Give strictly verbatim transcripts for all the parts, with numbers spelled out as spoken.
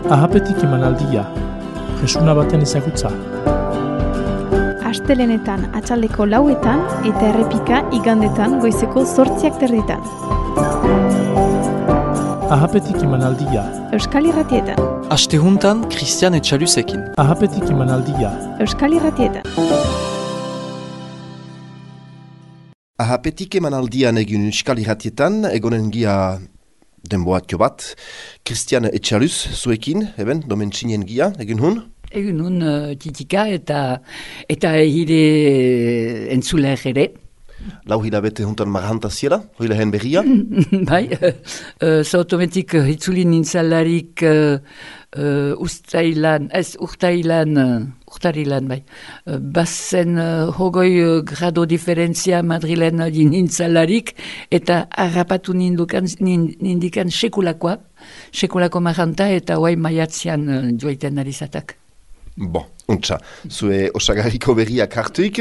Ahapetik emanaldia, jesuna baten ezagutza. Astelenetan atxaldeko lauetan eta errepika igandetan goizeko zortziak terditan. Ahapetik emanaldia. Euskal Irratietan. Astehuntan Christian Etxaluzekin. Ahapetik emanaldia. Euskal Irratietan. Ahapetik emanaldian egin Euskal Irratietan, egonen gia denboatio bat. Christian Etxaluz, zuekin, eben, domentxinen gia, egin hun? Egin hun uh, titika eta eta hire entzuleak ere. Lau hilabete juntan marhantaziela, hoile hen berria? Bai, uh, zautometik uh, hitzuli nintzalarik uh, uh, ustailan, ez urtailan, uh, urtarilan, bai. Uh, bazen uh, hogoi uh, grado diferentzia Madrilen uh, nintzalarik eta harrapatu nindukan, nindikan sekulakoa, sekulako marhanta eta hoai maiatzean uh, joaiten narizatak. Bon, untsa, zue osagarriko berriak hartuik,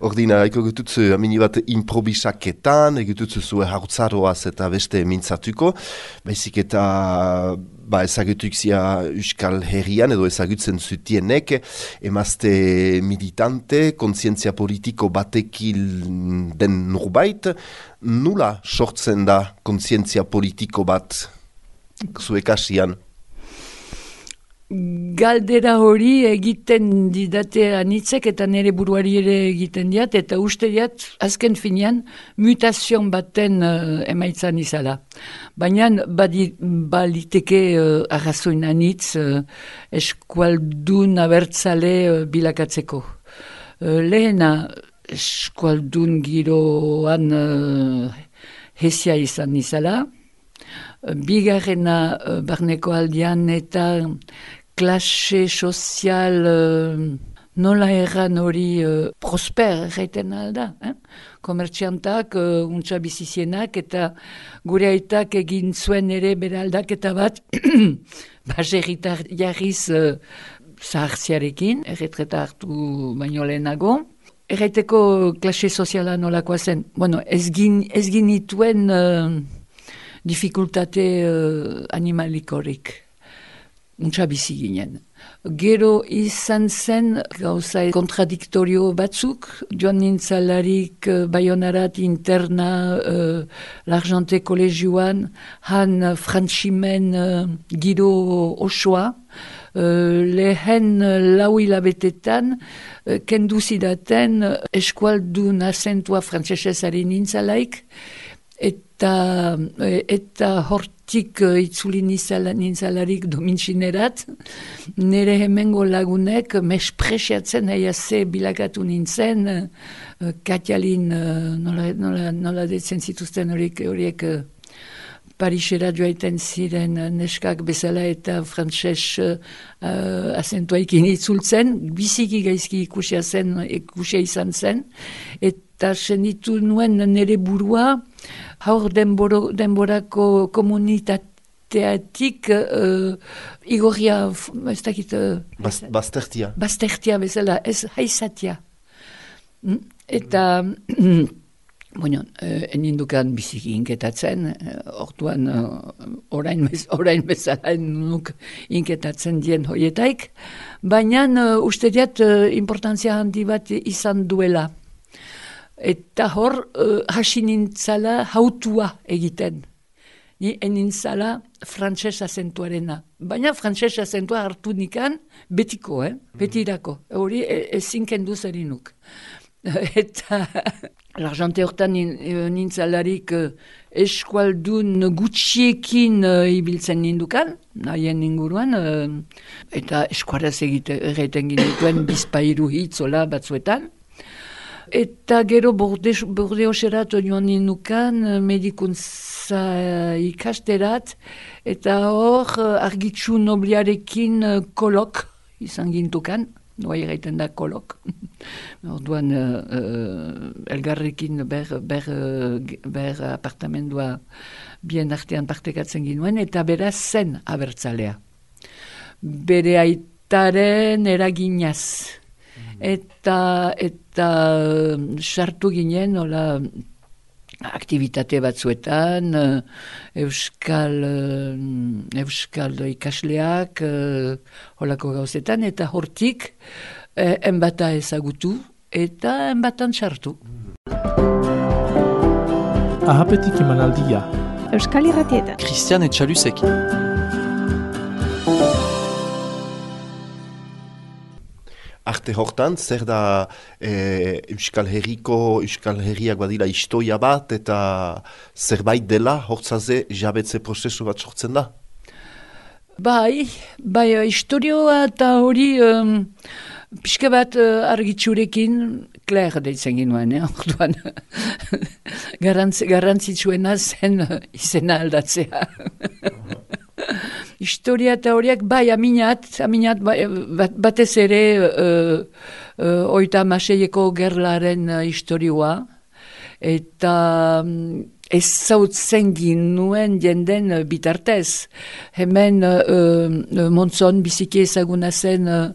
ordina eko gututzu amini bat improbisaketan, egututzu zue hartzaroaz eta beste mintzatuko, baizik eta ba, ezagutuk zia Euskal Herrian edo ezagutzen zutienek, emazte militante, kontzientzia politiko batekil den nurbait, nula sortzen da kontzientzia politiko bat zue kasian? Galdera hori egiten didate anitzek eta nire buruari ere egiten diat, eta uste diat azken finean mutazion baten uh, emaitzan izala. Baina badi, baliteke uh, arrazoin anitz uh, eskualdun abertzale uh, bilakatzeko. Uh, lehena eskualdun giroan uh, hesia izan izala, uh, bigarrena uh, barneko aldian eta klase sozial uh, nola erran hori uh, prosper erraiten alda. Eh? Komertxiantak, uh, untsa bizizienak eta gure aitak egin zuen ere bere aldaketa bat baserritar jarriz uh, zahartziarekin, erretreta hartu baino lehenago. Erraiteko klase soziala nolakoa zen. Bueno, ez ginituen uh, dificultate uh, animalikorik. Untsa bizi ginen. Gero izan zen gauza kontradiktorio batzuk, joan nintzalarik uh, Baionarat interna uh, l'Argente kolegioan, han uh, frantximen uh, giro osoa, uh, lehen uh, lau hilabetetan, uh, kendu zidaten uh, eskualdun azentua frantsesezari nintzalaik, eta, eta hortik uh, itzuli nintzalarik domintxinerat, nire hemengo lagunek mespresiatzen aiaze bilakatu nintzen, uh, Katialin uh, nola, nola, nola detzen zituzten horiek, horiek uh, Parisera joaiten ziren uh, neskak bezala eta frantses uh, azentuaikin itzultzen, biziki gaizki ikusia zen, ikusia izan zen, eta senitu nuen nire burua, haur denboro, denborako komunitateatik uh, igorria, ez dakit... Uh, Bas, baztertia. Baztertia bezala, ez haizatia. Mm? Eta, bueno, uh, enindukan biziki inketatzen, uh, orduan uh, orain, bez, orain bezala nuk inketatzen dien hoietaik, baina uh, uste diat uh, importantzia handi bat izan duela. Eta hor, uh, hasi nintzala hautua egiten. Ni enintzala frantses azentuarena. Baina frantses azentua hartu nikan betiko, eh? Betirako. Hori ezin kendu zerinuk. Eta l'Argente hortan nintzalarik uh, eskualdun gutxiekin uh, ibiltzen nindukan, nahien inguruan, uh, eta eskuaraz egiten ginituen bizpairu hitzola batzuetan. Eta gero Bordeoserat joan nindukan, medikuntza ikasterat, eta hor argitsu nobliarekin kolok izan gintukan, noa egiten da kolok. Orduan uh, uh, elgarrekin ber, ber, ber apartamendua bien artean partekatzen ginuen, eta beraz zen abertzalea. Bere aitaren eraginaz. Eta eta sartu ginen, hola, aktivitate batzuetan, euskal euskal ikasleak, uh, holako gauzetan, eta hortik uh, enbata ezagutu eta enbatan sartu. Ahapetik emanaldia. Euskal Irratietan. Christian Etxaluzekin. Arte hortan, zer da e, Euskal Herriko, Euskal Herriak badira historia bat, eta zerbait dela, hortzaze jabetze prozesu bat sortzen da? Bai, bai, historioa eta hori um, pixka bat uh, argitzurekin, Claire deitzen ginuen, eh, orduan, Garantz, garrantzitsuena zen uh, izena aldatzea. Historia eta horiek, bai, aminat, aminat bai, bat, batez ere uh, uh, oita maseieko gerlaren uh, historioa, eta um, ez zautzen ginuen jenden uh, bitartez. Hemen uh, uh, Montzon biziki ezaguna zen uh,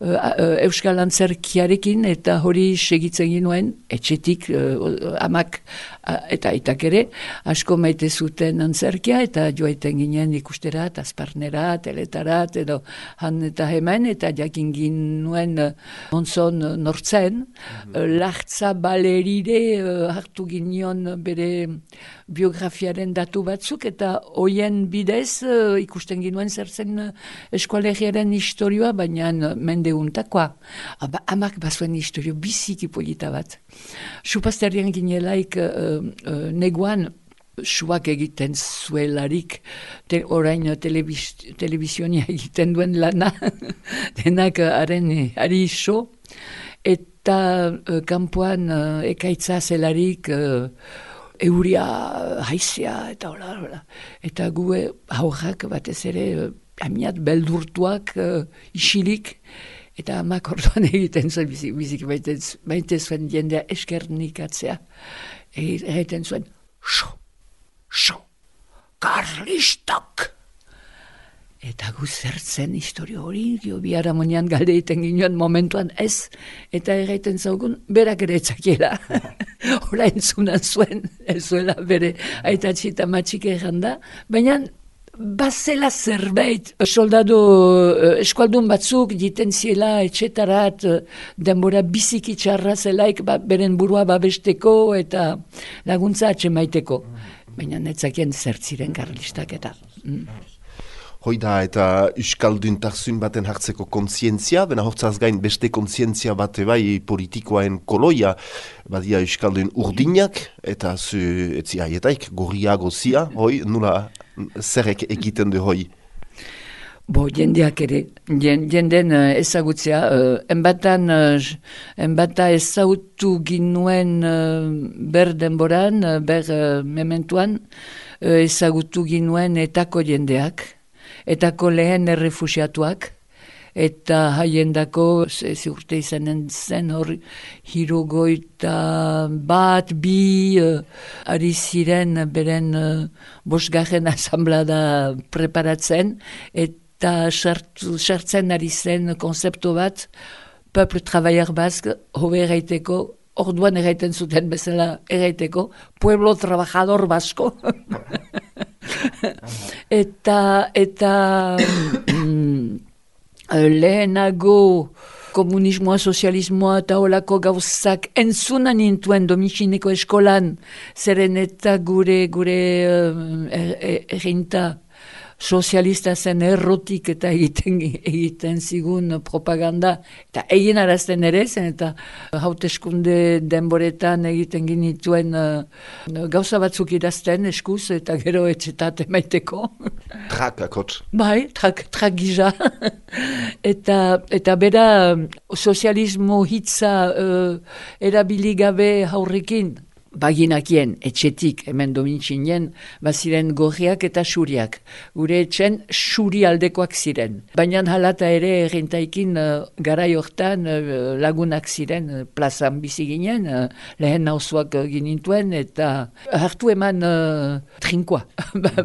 uh, Euskal Antzerkiarekin, eta hori segitzen ginuen, etxetik uh, amak uh, eta aitak ere, asko maite zuten antzerkia, eta joaiten ginen ikusterat, azparnera, teletarat, edo han eta hemen, eta jakin ginuen uh, Montzon uh, nortzen, mm-hmm. uh, Lartza Balerire uh, hartu ginen bere biografiaren datu batzuk, eta hoien bidez uh, ikusten ginuen zer zen uh, eskualegiaren historioa, baina uh, mendeuntakoa. Aba, amak bazuen historio biziki polita bat. Supazterian ginelaik uh, uh, neguan suak egiten zuelarik, te, orain telebiz, telebizionia egiten duen lana, denak haren uh, ari iso, eta uh, kanpoan uh, ekaitza zelarik uh, euria, haizea, eta hola, hola. Eta gu haurrak batez ere, amiat beldurtuak, uh, isilik, eta amak orduan egiten zuen, bizik, bizik baite zuen jendea eskernikatzea. Egiten zuen, xo, xo, karlistak! Eta gu zertzen historio hori, gio biharamonian galde egiten ginoen momentuan ez, eta egiten zaugun, berak ere etzakiela. Hora entzunan zuen, ez zuela bere aitatxi eta matxik erranda, baina bazela zerbait, soldado eskualdun batzuk jiten ziela etxetarat, denbora biziki txarra zelaik ba, beren burua babesteko eta laguntza atxemaiteko. Baina netzakien zertziren karlistak eta... Mm. Hoi da, eta euskalduntasun baten hartzeko kontzientzia, bena hortzaz gain beste kontzientzia bate bai politikoaen koloia, badia euskaldun urdinak, eta zu etzi aietaik, gorria gozia, hoi, nula zerrek egiten du hoi? Bo, jendeak ere, jenden uh, ezagutzea, uh, enbatan, uh, enbata ezagutu ginuen uh, ber denboran, uh, ber uh, mementuan, uh, ezagutu ginuen etako jendeak, etako lehen errefusiatuak, eta haiendako, ez urte izanen zen hor, hirurogeita bat, bi, uh, ari ziren beren uh, bosgarren asamblada preparatzen, eta sartzen ari zen konzeptu bat, Peuple Travailleur Basque, hobe erraiteko, orduan erraiten zuten bezala erraiteko, Pueblo Trabajador Basko. eta eta lehenago komunismoa, sozialismoa eta holako gauzak entzunan nintuen domitxineko eskolan, zeren eta gure gure errinta sozialista zen errotik eta egiten, egiten zigun propaganda, eta egin arazten ere zen, eta hauteskunde denboretan egiten ginituen uh, gauza batzuk idazten eskuz, eta gero etxetat emaiteko. Trak, akotz. Bai, trak, trak gisa. eta, eta bera sozialismo hitza uh, erabili gabe haurrekin, baginakien, etxetik, hemen domintxinen, baziren gorriak eta xuriak. Gure etxen xuri aldekoak ziren. Baina halata ere errentaikin uh, garai hortan uh, lagunak ziren uh, plazan bizi ginen, uh, lehen nauzuak uh, ginintuen, eta hartu eman uh, trinkoa,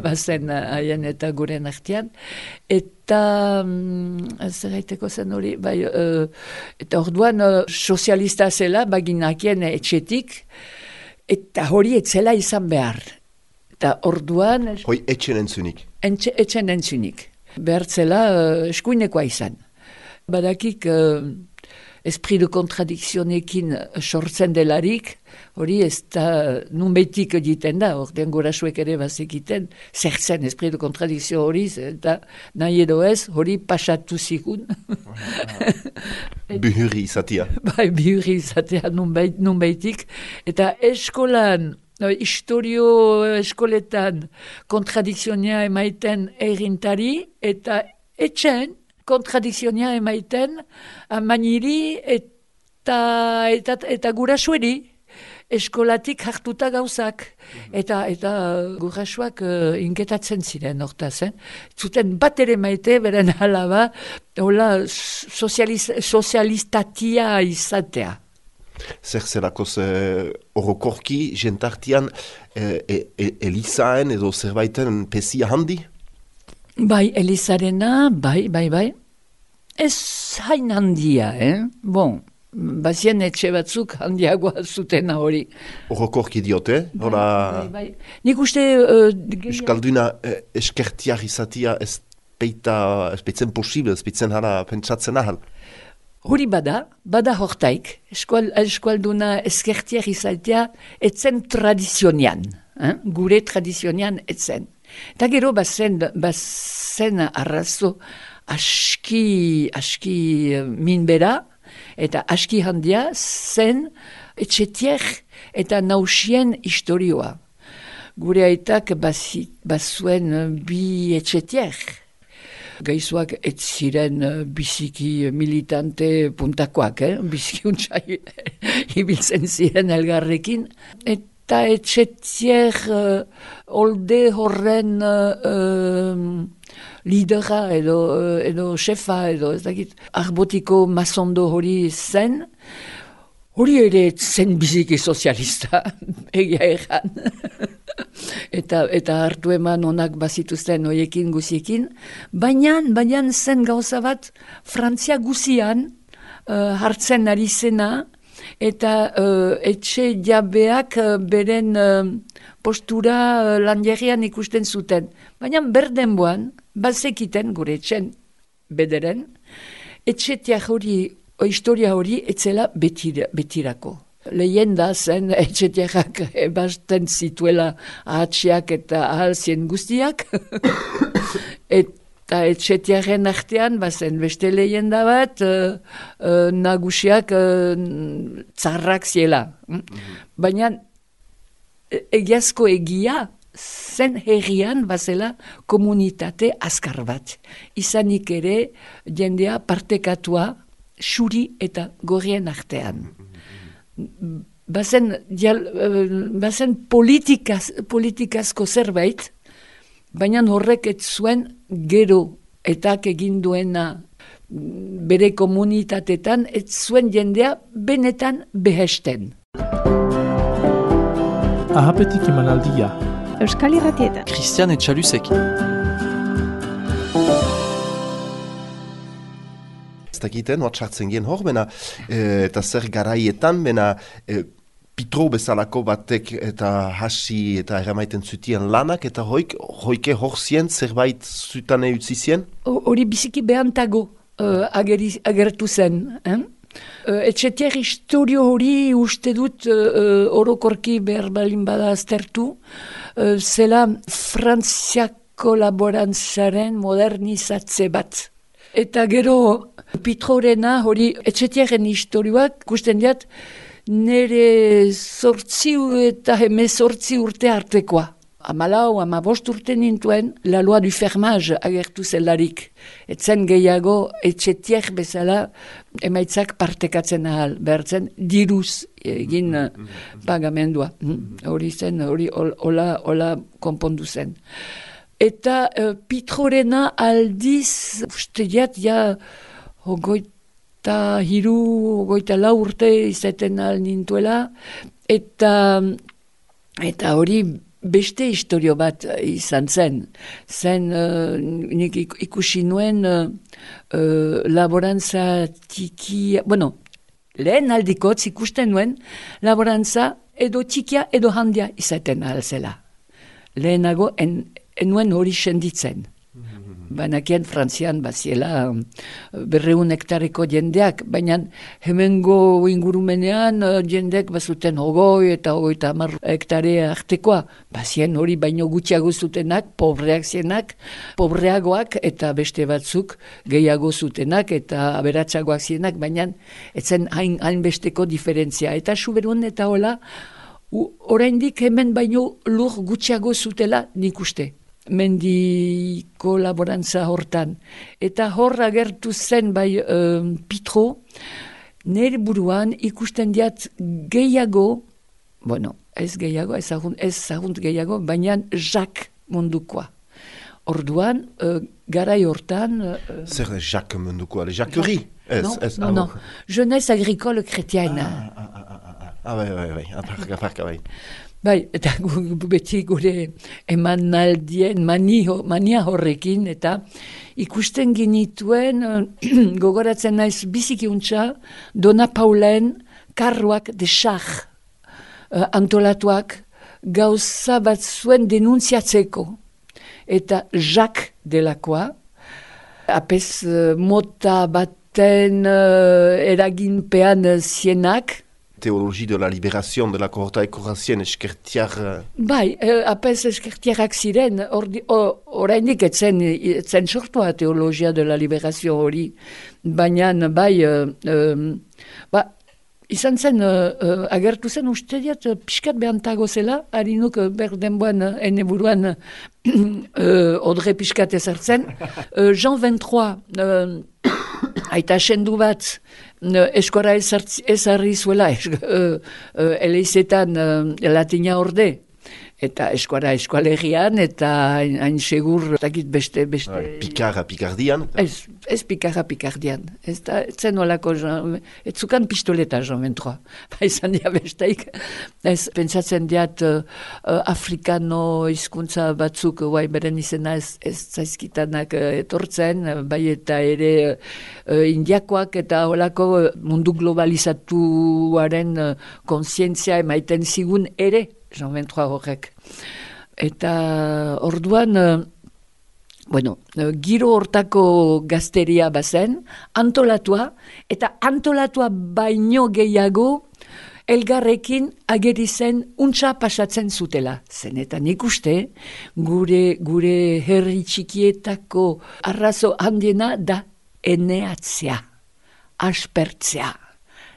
bazen haien uh, eta guren artean. Eta um, zerraiteko zen hori, bai, uh, eta orduan uh, sozialista zela baginakien etxetik, eta hori etzela izan behar. Eta orduan... Hoi etxen entzunik. Entxe, etxen entzunik. Behartzela uh, eskuinekoa izan. Badakik uh, esprit de kontradikzionekin sortzen delarik, hori ez da nunbeitik egiten da, ordean gurasuek ere bazekiten, zertzen esprit de kontradikzio hori, eta nahi edo ez, hori pasatu zigun. Bihurri izatea. Bai, bihurri izatea nunbeit, nunbeitik, eta eskolan, no, historio eskoletan kontradikzionia emaiten errintari, eta etxen kontradikzionia emaiten amaniri eta, eta, eta gurasueri eskolatik hartuta gauzak. Eta, eta gurasuak uh, inketatzen ziren hortaz. Eh? Zuten bat ere maite, beren alaba, hola sozializ, sozialistatia izatea. Zer zerakoz orokorki, uh, jentartian uh, e, e, Elizaen edo zerbaiten pesia handi? Bai, Elizarena, bai, bai, bai. Ez hain handia, eh? Bon, bazien etxe batzuk handiagoa zutena hori. Orokorki diote, bai, hora... Bai, bai. Nik uste... Uh, Euskalduna eh, eskertiar izatia ez peita, ez peitzen posible, ez peitzen hala pentsatzen ahal. Hori bada, bada hortaik, eskual, eskualduna eskertiar izatea etzen tradizionian, eh? Gure tradizionian etzen. Eta gero bazen, bazen arrazo aski, aski minbera eta aski handia zen etxetier eta nausien historioa. Gure aitak bazuen bi etxetier. Gaizuak ez ziren biziki militante puntakoak, eh? Biziki untxai ibiltzen ziren elgarrekin. Et Eta etxetier uh, olde horren uh, uh, lidera edo, uh, edo xefa edo ez dakit arbotiko mazondo hori zen. Hori ere zen biziki sozialista, egia erran. eta, eta hartu eman onak bazituzten hoiekin guziekin. Baina, baina zen gauza bat Frantzia guzian uh, hartzen ari zena, eta uh, etxe jabeak uh, beren uh, postura uh, lanjerian ikusten zuten. Baina berdenboan, bazekiten gure etxen bederen, etxetiak hori, o historia hori, etzela betira, betirako. Lehenda zen etxetiak ebasten zituela ahatxiak eta ahalzien guztiak, eta etxetiaren artean, bazen beste lehenda bat, uh, uh, nagusiak uh, tzarrak ziela. Mm-hmm. Baina egiazko egia, zen herrian bazela komunitate azkar bat. Izanik ere jendea partekatua xuri eta gorrien artean. Bazen, dial, bazen politikaz, politikazko zerbait, baina horrek ez zuen gero etak egin duena bere komunitatetan, ez zuen jendea benetan behesten. Ahapetik emanaldia. Euskal Irratietan. Christian Etxalusekin. Ez dakiten, hor txartzen gen hor, bena, e, eta zer garaietan, bena, e, Pitro bezalako batek eta hasi eta eramaiten zutien lanak, eta hoik, hoike hor zien zerbait zutane utzi zien? Hori biziki behantago uh, ageri, agertu zen. Eh? Uh, Etxetier historio hori uste dut uh, orokorki behar balin bada aztertu, uh, zela Frantziako laborantzaren modernizatze bat. Eta gero Pitrorena hori Etxetierren historioak gusten diat, nere zortzi eta hemezortzi urte artekoa. Amalau, amabost urte nintuen, la loi du fermage agertu zelarik. Etzen gehiago etxetier bezala emaitzak partekatzen ahal, behartzen diruz egin mm-hmm. pagamendua. Hori zen, hori hola, hola konpondu zen. Eta uh, Pitrorena aldiz, uste diat, ja, hogoit, eta hiru, goita lau urte izaten al nintuela, eta, eta hori beste historio bat izan zen. Zen, uh, nik ikusi nuen uh, uh, laborantza tiki, bueno, lehen aldikotz ikusten nuen laborantza edo txikia edo handia izaten al zela. lehenago en, enuen hori senditzen. Banakien Frantzian baziela berreun hektareko jendeak, baina hemengo ingurumenean jendeak bazuten hogoi eta hogoi eta hamar hektare artekoa. Bazien hori baino gutxiago zutenak, pobreak zienak, pobreagoak eta beste batzuk gehiago zutenak eta aberatsagoak zienak, baina etzen hain, hain besteko diferentzia. Eta Suberun eta hola, oraindik hemen baino lur gutxiago zutela nik uste. Mendiko laborantza hortan. Eta hor agertu zen bai um, Pitro, nire buruan ikusten diat gehiago, bueno, ez gehiago, ez agunt, ez agunt gehiago, baina Jacques mundukoa. Orduan, uh, garai hortan... Uh, Zer da Jacques mundukoa, le Jacquerie? Ez, non, ez, non, non, jeunesse agricole chrétienne. Ah, ah, ah, ah, ah, ah, bai, bai, bai, aparka, aparka, bai. Bai, eta gu, beti gure eman naldien mani, mania horrekin, eta ikusten ginituen, gogoratzen naiz bizikiuntza, Dona Paulen karruak de char uh, antolatuak gauza bat zuen denunziatzeko. Eta Jacques delakoa, apez uh, mota baten uh, eraginpean uh, zienak, Théologie de la libération de la kohorta ekorazien eskertiar... Bai, eh, apez eskertiarak ziren, orainik etzen, etzen sortua teologia de la libération hori, baina bai, uh, uh, ba, izan zen, uh, agertu zen uste diat, uh, pixkat behantago zela, harinuk uh, berdenboan, uh, ene buruan, uh, odre pixkat ezartzen, uh, Jean vingt-trois, uh, aita sendu bat, eskora ezarri zuela, es, uh, uh, eleizetan uh, latina orde, eta eskuara eskualegian, eta hain segur, takit beste, beste... Pikarra pikardian? Ez, ez pikarra pikardian. Ez da, zen olako, ez zukan pistoleta, Jean vingt-trois. Ba, izan dia besteik. Ez, pentsatzen diat, uh, uh, afrikano hizkuntza batzuk, guai beren izena ez, ez zaizkitanak uh, etortzen, bai eta ere uh, indiakoak eta olako mundu globalizatuaren uh, konsientzia emaiten zigun ere, Jean vingt-trois horrek. Eta orduan, bueno, giro hortako gazteria bazen, antolatua, eta antolatua baino gehiago, elgarrekin ageri zen untsa pasatzen zutela. Zenetan ikuste, gure, gure herri txikietako arrazo handiena da eneatzea, aspertzea.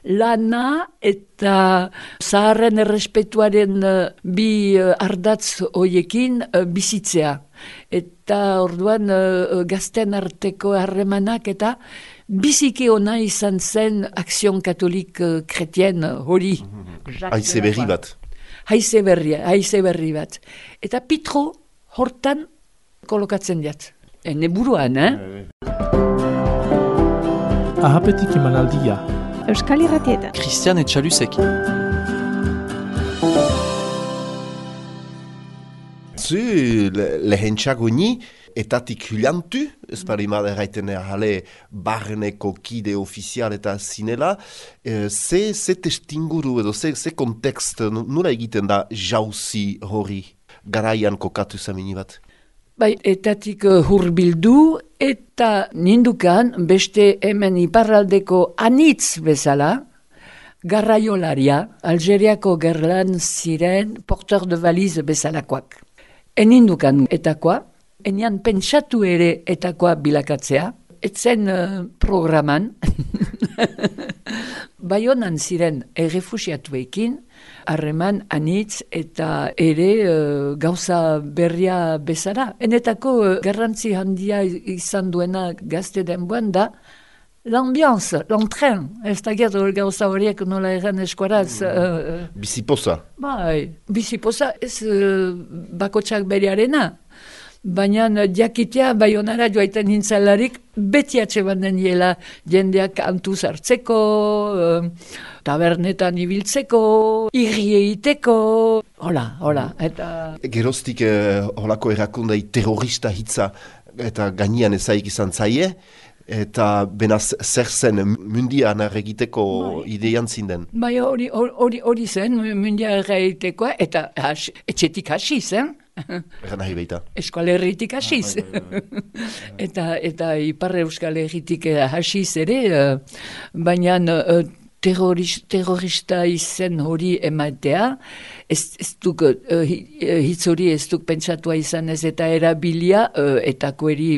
Lana eta zaharren errespetuaren uh, bi uh, ardatz hoiekin uh, bizitzea. Eta orduan uh, gazten arteko harremanak eta biziki ona izan zen akzion katolik uh, kretien hori. Haize berri bat. Haize berri, haize berri bat. Eta Pitro hortan kolokatzen diat. Ene buruan, eh? Ahapetik emanaldia. Euskal Irratietan. Christian Etxalusekin. Zu, lehentxago ni, etatik hulantu, ez parima erraiten jale barneko kide ofizial eta zinela, e, ze, ze testinguru edo, ze, ze kontekst, nula egiten da jauzi hori, garaian kokatu zamini bat? Bai, etatik uh, hurbildu eta nindukan beste hemen iparraldeko anitz bezala, garraiolaria, Algeriako gerlan ziren porteur de valize bezalakoak. Enindukan etakoa, enian pentsatu ere etakoa bilakatzea, etzen uh, programan, Baionan ziren errefusiatuekin, harreman anitz eta ere uh, gauza berria bezala. Enetako uh, garrantzi handia izan duena gazte denboan da, l'ambiance, l'entren, ez da gertu gauza horiek nola erran eskuaraz. Uh, Bizipoza. Bai, bizipoza ez uh, bakotsak berearena. Baina diakitea Baionara joaiten nintzalarik beti atxe banden diela jendeak antuz hartzeko, tabernetan ibiltzeko, irri egiteko, hola, hola. Eta... Geroztik eh, holako erakundai terrorista hitza eta gainean ezaik izan zaie, eta benaz zer zen mundian egiteko ideian zinden. Bai, hori hori hori zen mundian egitekoa, eta has, etxetik hasi zen. Egan nahi baita. Euskal Herritik hasiz. eta, eta Ipar Euskal Herritik hasiz ere, uh, baina uh, terroris, terrorista izen hori ematea, ez, ez duk, uh, hitz hori ez duk pentsatua izan ez eta erabilia uh, etakoeri,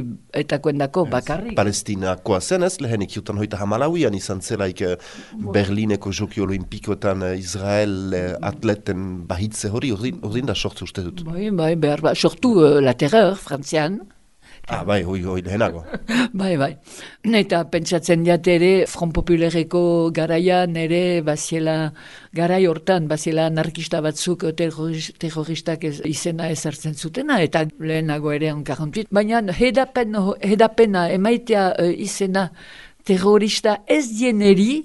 etakoendako bakarrik. Palestinakoa zen ez, lehenik jutan hoita hamalauian izan zelaik uh, Berlineko Joki Olimpikoetan uh, Israel uh, atleten bahitze hori, ordin, ordin da sortzu uste dut. Bai, bai, behar, ba, sortu uh, la terreur, frantzian. Ah, bai, hoi, hoi lehenago. bai, bai. Eta pentsatzen diat ere, Front Populareko garaian ere, baziela, garai hortan, baziela anarkista batzuk terrorist, terroristak ez, izena ezartzen zutena, eta lehenago ere onkarrontuit. Baina hedapen, hedapena emaitea uh, izena terrorista ez dieneri,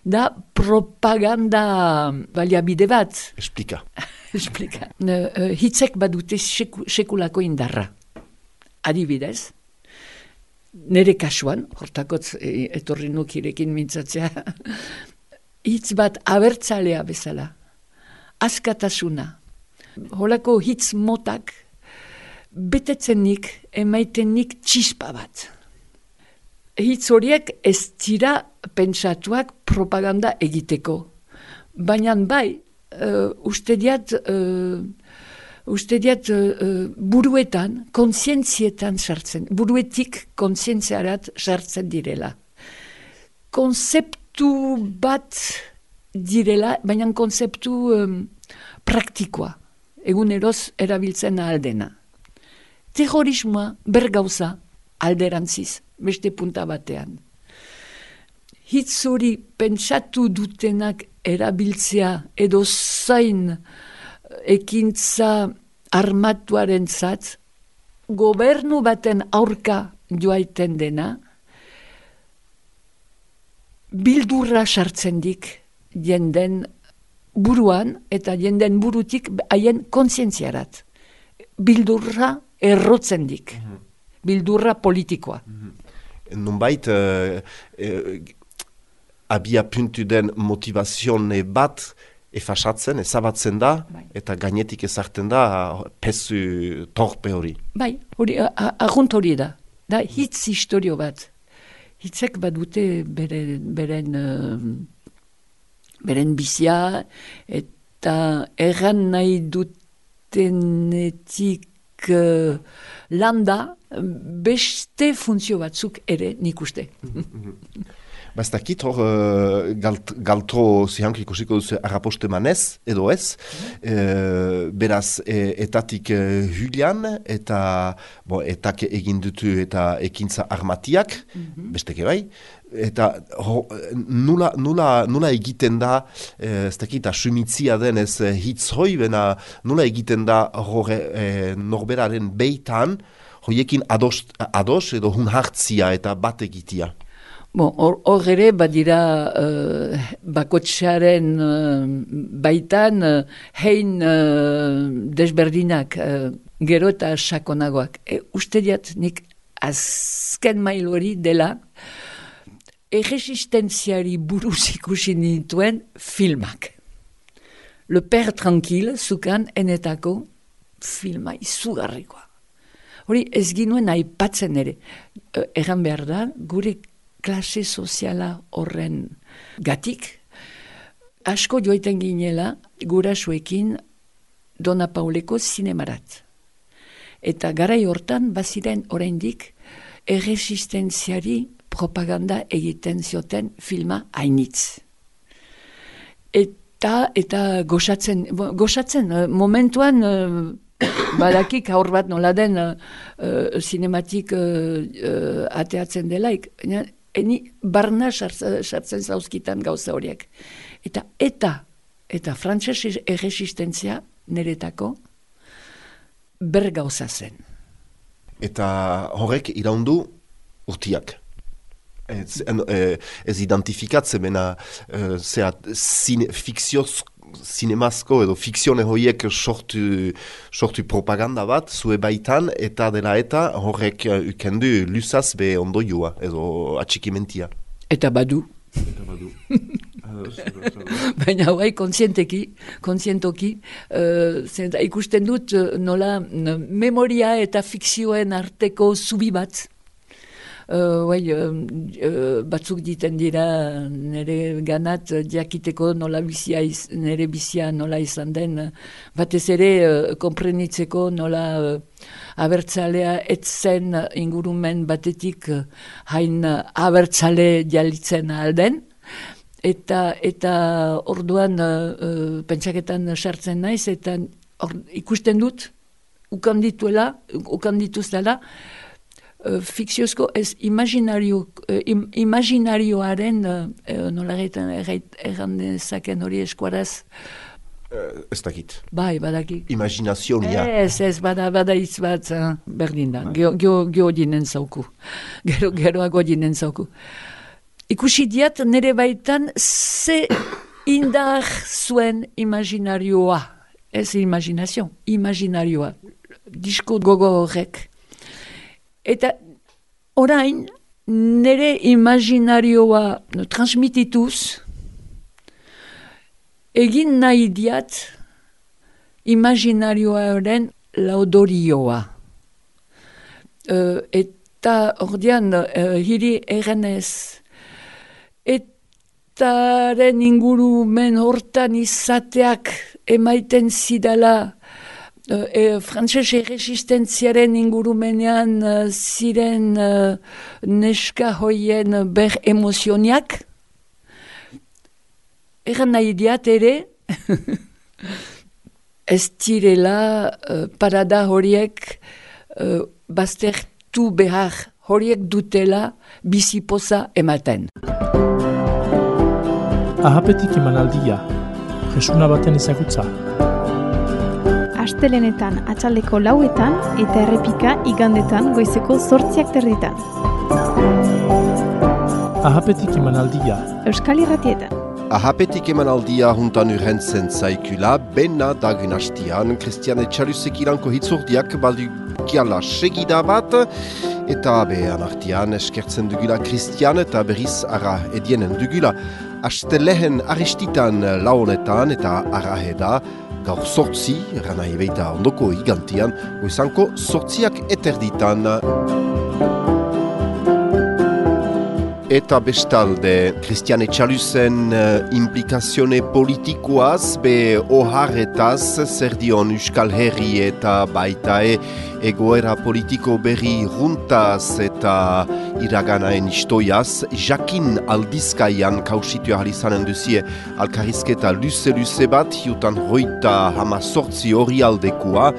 da propaganda baliabide bat. Explika. Explika. Uh, hitzek badute seku, sekulako indarra. Adibidez, nire kasuan, hortakotz e, etorri nukirekin mintzatzea, hitz bat abertzalea bezala, askatasuna, holako hitz motak, betetzenik, emaitenik txispa bat. Hitz horiek ez dira pentsatuak propaganda egiteko, baina bai, uh, uste diat, uh, Uste diat uh, buruetan, kontzientzietan sartzen, buruetik kontzientziarat sartzen direla. Konzeptu bat direla, baina konzeptu um, praktikoa, eguneroz erabiltzen aldena. Terrorismoa bergauza alderantziz, beste punta batean. Hitz hori pentsatu dutenak erabiltzea edo zain ekintza armatuaren zat, gobernu baten aurka joaiten dena, bildurra sartzen dik jenden buruan eta jenden burutik haien kontzientziarat. Bildurra errotzen dik. Bildurra politikoa. Nunbait, uh, uh, abia puntu den motivazione bat efasatzen, ezabatzen da, bai. Eta gainetik ezartzen da pesu torpe hori. Bai, hori, argunt hori da. Da hitz historio bat. Hitzek badute bere, beren, uh, beren bizia eta erran nahi dutenetik uh, landa beste funtzio batzuk ere nik uste. Ba ez dakit hor uh, galt, galtro zihank ikusiko duzu arraposte manez, edo ez, mm-hmm. e, beraz e, etatik e, hulian, eta bo, etak egin dutu eta ekintza armatiak, mm-hmm. besteke bai, eta ho, nula, nula, nula egiten da, e, ez dakit, asumitzia denez e, hitz hoi, bena nula egiten da horre, e, norberaren beitan, hoiekin ados, ados edo hun hartzia eta bat egitia. Bon, hor ere badira uh, bakotxaren uh, baitan uh, hein uh, desberdinak uh, gero eta sakonagoak. E, uste diat nik azken mail hori dela erresistentziari buruz ikusi nituen filmak. Le Père Tranquille zukan enetako filma izugarrikoa. Hori ez ginuen aipatzen ere. Uh, Erran behar da, gure klase soziala horren gatik, asko joiten ginela gurasoekin Dona Pauleko zinemarat. Eta garai hortan baziren oraindik erresistentziari propaganda egiten zioten filma hainitz. Eta, eta goxatzen, goxatzen, momentuan badakik aur bat nola den uh, zinematik uh, uh, ateatzen delaik, eni barna sartzen zauzkitan gauza horiek. Eta eta, eta frantses erresistentzia niretako ber gauza zen. Eta horrek iraundu urtiak. Ez, ez identifikatzen, bena zine, fikzioz, zinemazko edo fikzione horiek sortu, sortu propaganda bat, zue baitan, eta dela eta horrek ukendu luzaz be ondoioa, edo atxikimentia. Eta badu. Eta badu. uh, baina hauai kontzienteki, kontzientoki, uh, ikusten dut uh, nola uh, memoria eta fikzioen arteko zubi bat. Uh, bai, uh, uh, batzuk diten dira nire ganat uh, jakiteko nola bizia iz, nire bizia nola izan den, uh, batez ere uh, konprenitzeko nola uh, abertzalea etzen uh, ingurumen batetik uh, hain uh, abertzale jalitzen alden. Eta, eta orduan uh, uh, pentsaketan sartzen naiz, eta or, ikusten dut, ukandituela, ukandituzela, uh, fikziozko ez imaginario, uh, im, imaginarioaren, uh, nola erran dezaken hori eskuaraz, uh, ez dakit. Bai, badakik. Imaginazionia. Ez, ez, bada, bada hitz bat, uh, berdin da, geho, geho, geho dinen zauku, gero, geroago dinen zauku. Ikusi diat nire baitan ze indar zuen imaginarioa. Ez imaginazio, imaginarioa. Disko gogo horrek. Eta orain nire imaginarioa no, transmitituz egin nahi diat imaginarioaren laudorioa. Uh, eta ordean uh, hiri errenez etaren ingurumen hortan izateak emaiten zidala e, frantses erresistentziaren ingurumenean uh, ziren uh, neska hoien ber emozioniak. Eran nahi diat ere ez direla uh, parada horiek uh, baztertu behar, horiek dutela bizipoza ematen. Ahapetik emanaldia, jesuna baten ezagutza. Astelenetan atxaldeko lauetan eta errepika igandetan goizeko zortziak terditan. Ahapetik emanaldia. Euskal Irratietan. Ahapetik emanaldia juntan urrentzen zaikula, bena dagen hastian, Christian Etxalusek iranko hitzordiak baldukiala segida bat, eta behan artian eskertzen dugula Christian eta berriz ara edienen dugula. Astelehen aristitan laonetan eta araheda gaur sortzi, rana ebeita ondoko igantian, goizanko sortziak eterditan. Eta bestalde, Christian Etxalusen uh, implikazione politikoaz, be oharretaz, zer dion Euskal Herri eta baita e, egoera politiko berri runtaz eta iraganaen istoiaz, jakin aldizkaian kausitu ahal izanen duzie alkarrizketa luze-luze bat, hiutan hoita hama sortzi hori aldekoa,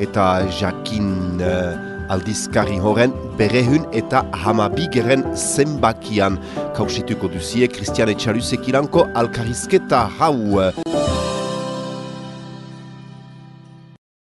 eta jakin uh, aldizkari horren berehun eta hamabigeren zenbakian kausituko duzie Christian Etxalusek iranko alkarrizketa hau.